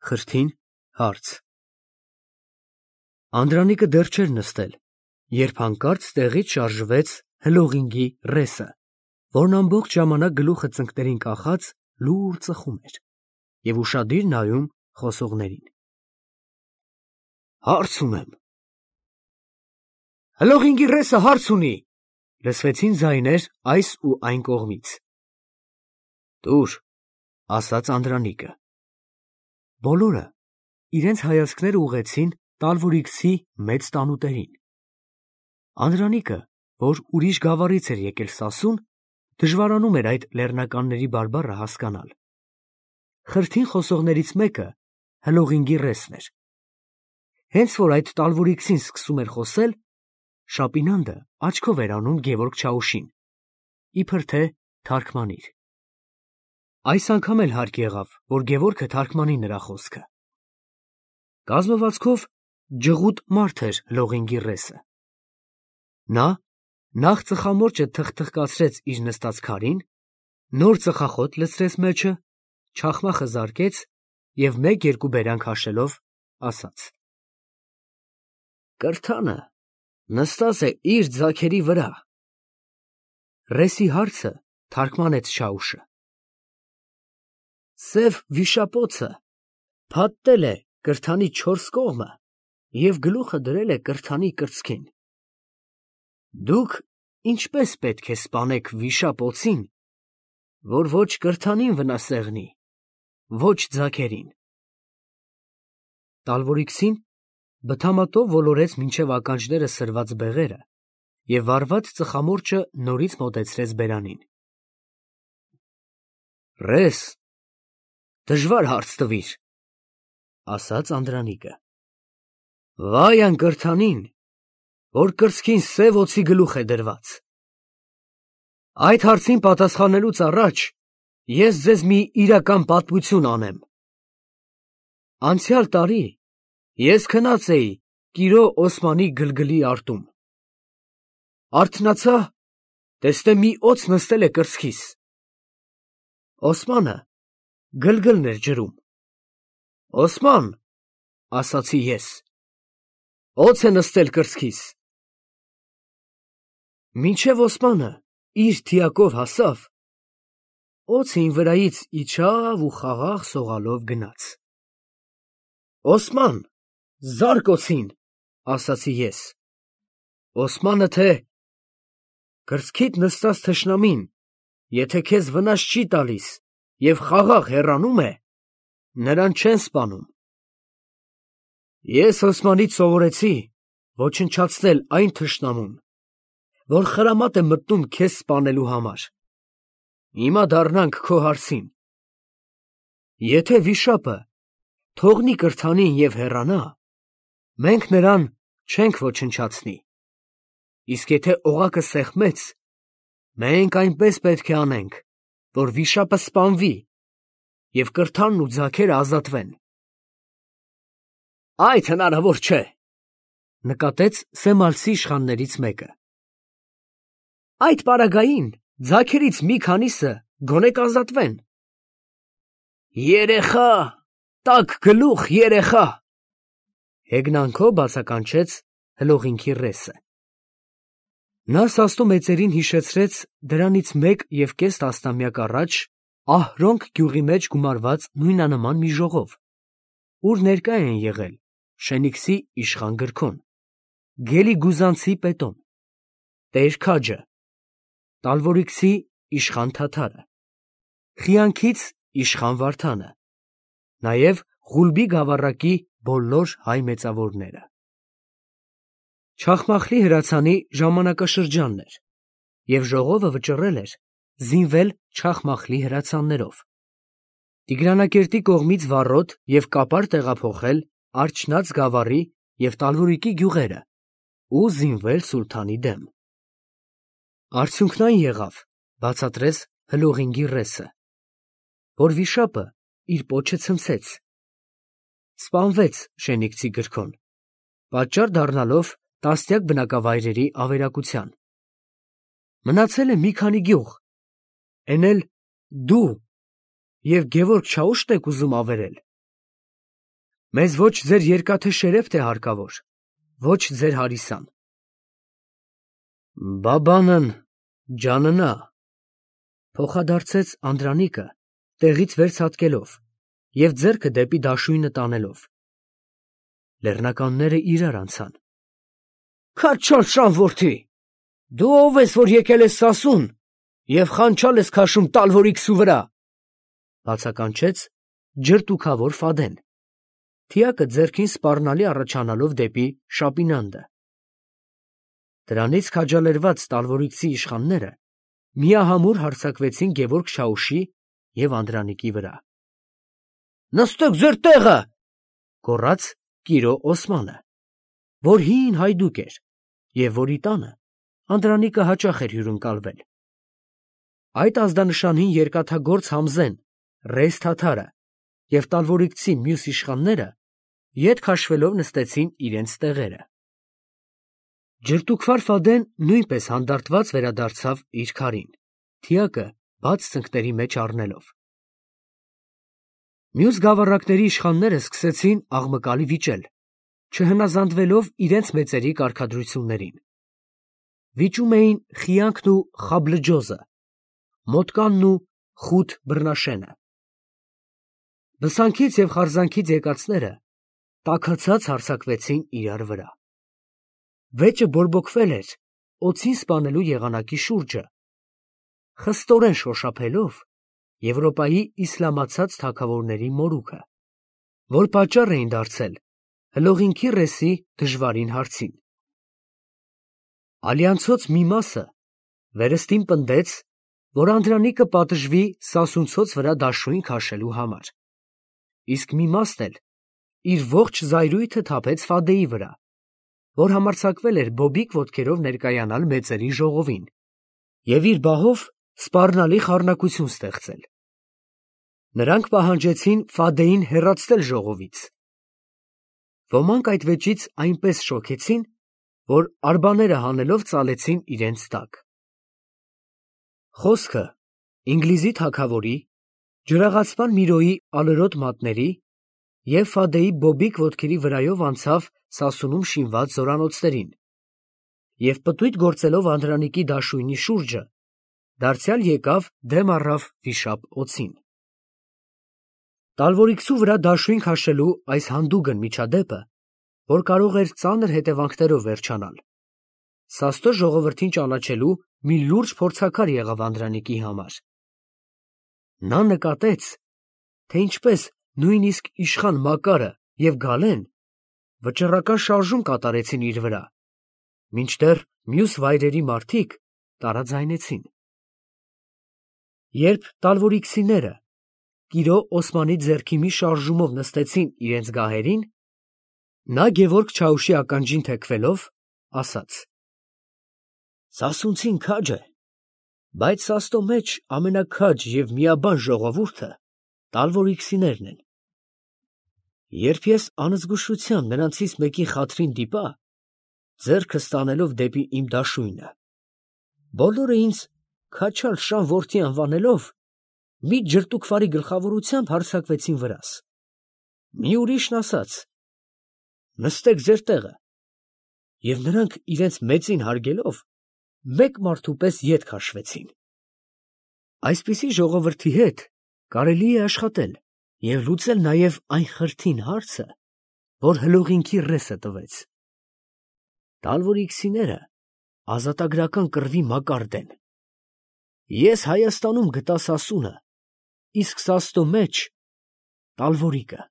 Խրթին հարց։ Անդրանիկը դեռ չէր նստել, երբ հանկարծ տեղից շարժվեց հլողինգի ռեսը, որն ամբողջ ժամանակ գլուխը ծնկներին կախած լուր ծխում էր և ուշադիր նայում խոսողներին։ Հարց ունեմ։ Հլողինգի ռեսը հարց ունի, լսվեցին ձայներ այս ու այն կողմից։ Տուր, ասաց Անդրանիկը։ Բոլորը իրենց հայացքները ուղղեցին Տալվորիքսի մեծ տանուտերին։ Անդրանիկը, որ ուրիշ գավառից էր եկել Սասուն, դժվարանում էր այդ լեռնականների բարբառը հասկանալ։ Խրթին խոսողներից մեկը հլողինգի ռեսն էր։ Հենց որ այդ Տալվորիքսին սկսում էր խոսել, Շապինանդը աչքով էր անում Գևորգ Չաուշին, իբր թե թարգմանիր։ Այս անգամ էլ հարկ եղավ, որ Գևորգը թարգմանի նրա խոսքը։ Կազմվածքով ջղուտ մարդ էր հլողինգի ռեսը։ Նա նախ ծխամորճը թխթխկացրեց իր նստած քարին, նոր ծխախոտ լցրեց մեջը, չախմախը զարկեց և մեկ-երկու բերան քաշելով ասաց. Կրթանը նստած է իր ձագերի վրա։ Ռեսի հարցը թարգմանեց Չաուշը։ Սև վիշապոցը փաթթել է կրթանի 4 կողմը և գլուխը դրել է կրթանի կրծքին։ Դուք ինչպես պետք է սպանեք վիշապոցին, որ ոչ կրթանին վնասեղնի, ոչ ձագերին։ Տալվորիքսին բթամատով ոլորեց մինչև ականջները սրված բեղերը և վառված ծխամորճը նորից մոտեցրեց բերանին։ Ռես, դժվար հարց տվիր, ասաց Անդրանիկը։ Վայ այն կրթանին, որ կրծքին սև օձի գլուխ է դրված։ Այդ հարցին պատասխանելուց առաջ ես ձեզ մի իրական պատմություն անեմ։ Անցյալ տարի ես քնած էի Կիրո Օսմանի գլգլի արտում։ Արթնացա, տեսնեմ մի օձ նստել է կրծքիս։ Օսմանը գլգլն էր ջրում։ Օսման, ասացի ես, օձ է նստել կրծքիս։ Մինչև Օսմանը իր թիակով հասավ, օձը իմ վրայից իջավ ու խաղաղ սողալով գնաց։ Օսման, զարկ օձին, ասացի ես։ Օսմանը թե կրծքիդ նստած թշնամին, եթե քեզ վնաս չի տալիս և խաղաղ հեռանում է, նրան չեն սպանում։ Ես Օսմանից սովորեցի ոչնչացնել այն թշնամուն, որ խրամատ է մտնում քեզ սպանելու համար։ Հիմա դառնանք քո հարցին։ Եթե վիշապը թողնի կրթանին և հեռանա, մենք նրան չենք ոչնչացնի, իսկ եթե օղակը սեղմեց, մենք այնպես պետք է անենք, որ վիշապը սպանվի և կրթանն ու ձագերը ազատվեն։ Այդ հնարավոր չէ, նկատեց Սեմալսի իշխաններից մեկը։ Այդ պարագային ձագերից մի քանիսը գոնե կազատվեն։ Երեխա, տաք գլուխ երեխա, հեգնանքով բացականչեց հլողինքի ռեսը։ Նա սաստու մեծերին հիշեցրեց դրանից 1.5 տասնամյակ առաջ Ահրոնք գյուղի մեջ գումարված նույնանման մի ժողով, ուր ներկա էին եղել Շենիքսի իշխան Գրքոն, Գելիգուզանցի Պետոն, Տեր Քաջը, Տալվորիքսի իշխան Թաթարը, Խիանքից իշխան Վարդանը, նաև Ղուլբի գավառակի բոլոր հայ մեծավորները։ Չախմախլի հրացանի ժամանակաշրջանն էր, և ժողովը վճռել էր զինվել Չախմախլի հրացաններով, Տիգրանակերտի կողմից վառոդ և կապար տեղափոխել Արջնաց գավառի և Տալվորիկի գյուղերը ու զինվել սուլթանի դեմ։ Արդյունքն այն եղավ, բացատրեց հլողինգի ռեսը, որ վիշապը իր պոչը ցնցեց, սպանվեց Շենիքսի Գրքոն, պատճառ դառնալով տասնյակ բնակավայրերի ավերակության։ Մնացել է մի քանի գյուղ, էն էլ դու և Գևորգ Չաուշն եք ուզում ավերել։ Մեզ ոչ ձեր երկաթե շերեֆտ է հարկավոր, ոչ ձեր հարիսան։ Բաբանն ջաննա, փոխադարձեց Անդրանիկը, տեղից վեր ցատկելով և ձեռքը դեպի դաշույնը տանելով։ Լեռնականները իրար անցան։ Քաչալ շան որդի, դու ով ես, որ եկել ես Սասուն և խանչալ ես քաշում Տալվորիքսու վրա, բացականչեց ջրտուքավոր Ֆադեն, թիակը ձեռքին սպառնալի առաջանալով դեպի Շապինանդը։ Դրանից քաջալերված Տալվորիքսի իշխանները միահամուռ հարձակվեցին Գևորգ Շաուշի և Անդրանիկի վրա։ Նստեք ձեր տեղը, գոռաց Կիրո Օսմանը, որ հին հայդուկ էր և որի տանը Անդրանիկը հաճախ էր հյուրընկալվել։ Այդ ազդանշանին երկաթագործ Համզեն, Ռեզ Թաթարը և Տալվորիքցի մյուս իշխանները ետ քաշվելով նստեցին իրենց տեղերը։ Ջրտուքվար Ֆադեն նույնպես հանդարտված վերադարձավ իր քարին, թիակը բաց ծնկների մեջ առնելով։ Մյուս գավառակների իշխանները սկսեցին աղմկալի վիճել, չհնազանդվելով իրենց մեծերի կարգադրություններին։ Վիճում էին Խիանքն ու Խաբլջոզը, Մոտկանն ու Խութ Բռնաշենը։ Բսանքից և խարզանքից եկածները տաքացած հարձակվեցին իրար վրա։ Վեճը բորբոքվել էր օձին սպանելու եղանակի շուրջը, խստորեն շոշափելով Եվրոպայի իսլամացած թագավորների մորուքը, որ պատճառ էին դարձել հլողինքի ռեսի դժվարին հարցին։ Ալյանցոց մի մասը վերստին պնդեց, որ Անդրանիկը պատժվի Սասունցոց վրա դաշույն քաշելու համար, իսկ մի մասն էլ իր ողջ զայրույթը թափեց Ֆադեի վրա, որ համարձակվել էր բոբիկ ոտքերով ներկայանալ մեծերի ժողովին և իր բահով սպառնալի խառնակություն ստեղծել։ Նրանք պահանջեցին Ֆադեին հեռացնել ժողովից։ Ոմանք այդ վեճից այնպես շոքեցին, որ արբաները հանելով ծալեցին իրենց տակ։ Խոսքը Ինգլիզի թագավորի, ջրաղացման Միրոյի ալրոտ մատների և Ֆադեի բոբիկ ոտքերի վրայով անցավ Սասունում շինված զորանոցներին և պտույտ գործելով Անդրանիկի դաշույնի շուրջը, դարձյալ եկավ դեմ առավ վիշապ օձին։ Տալվորիքսու վրա դաշույն քաշելու այս հանդուգն միջադեպը, որ կարող էր ծանր հետևանքներով վերջանալ, Սաստո ժողովրդին ճանաչելու մի լուրջ փորձաքար եղավ Անդրանիկի համար։ Նա նկատեց, թե ինչպես նույնիսկ իշխան Մակարը և Գալեն վճռական շարժում կատարեցին իր վրա, մինչդեռ մյուս վայրերի մարդիկ տարաձայնեցին։ Երբ Տալվորիքսիները Կիրո Օսմանի ձեռքի մի շարժումով նստեցին իրենց գահերին, նա Գևորգ Չաուշի ականջին թեքվելով, ասաց. Սասունցին քաջ է, բայց Սաստո մեջ ամենաքաջ և միաբան ժողովուրդը Տալվորիքսիներն են։ Երբ ես անզգուշությամբ նրանցից մեկի խաթրին դիպա, ձեռքս տանելով դեպի իմ դաշույնը, բոլորը ինձ Քաչալ շան որդի անվանելով, մի ջրտուքվարի գլխավորությամբ հարձակվեցին վրաս։ Մի ուրիշն ասաց. նստեք ձեր տեղը, և նրանք իրենց մեծին հարգելով, մեկ մարդու պես ետ քաշվեցին։ Այսպիսի ժողովրդի հետ կարելի է աշխատել և լուծել նաև այն խրթին հարցը, որ հլողինքի ռեսը տվեց։ Տալվորիքսիները ազատագրական կռվի մակարդ են։ Ես Հայաստանում գտա Սասունը, իսկ Սաստո մեջ Տալվորիկը։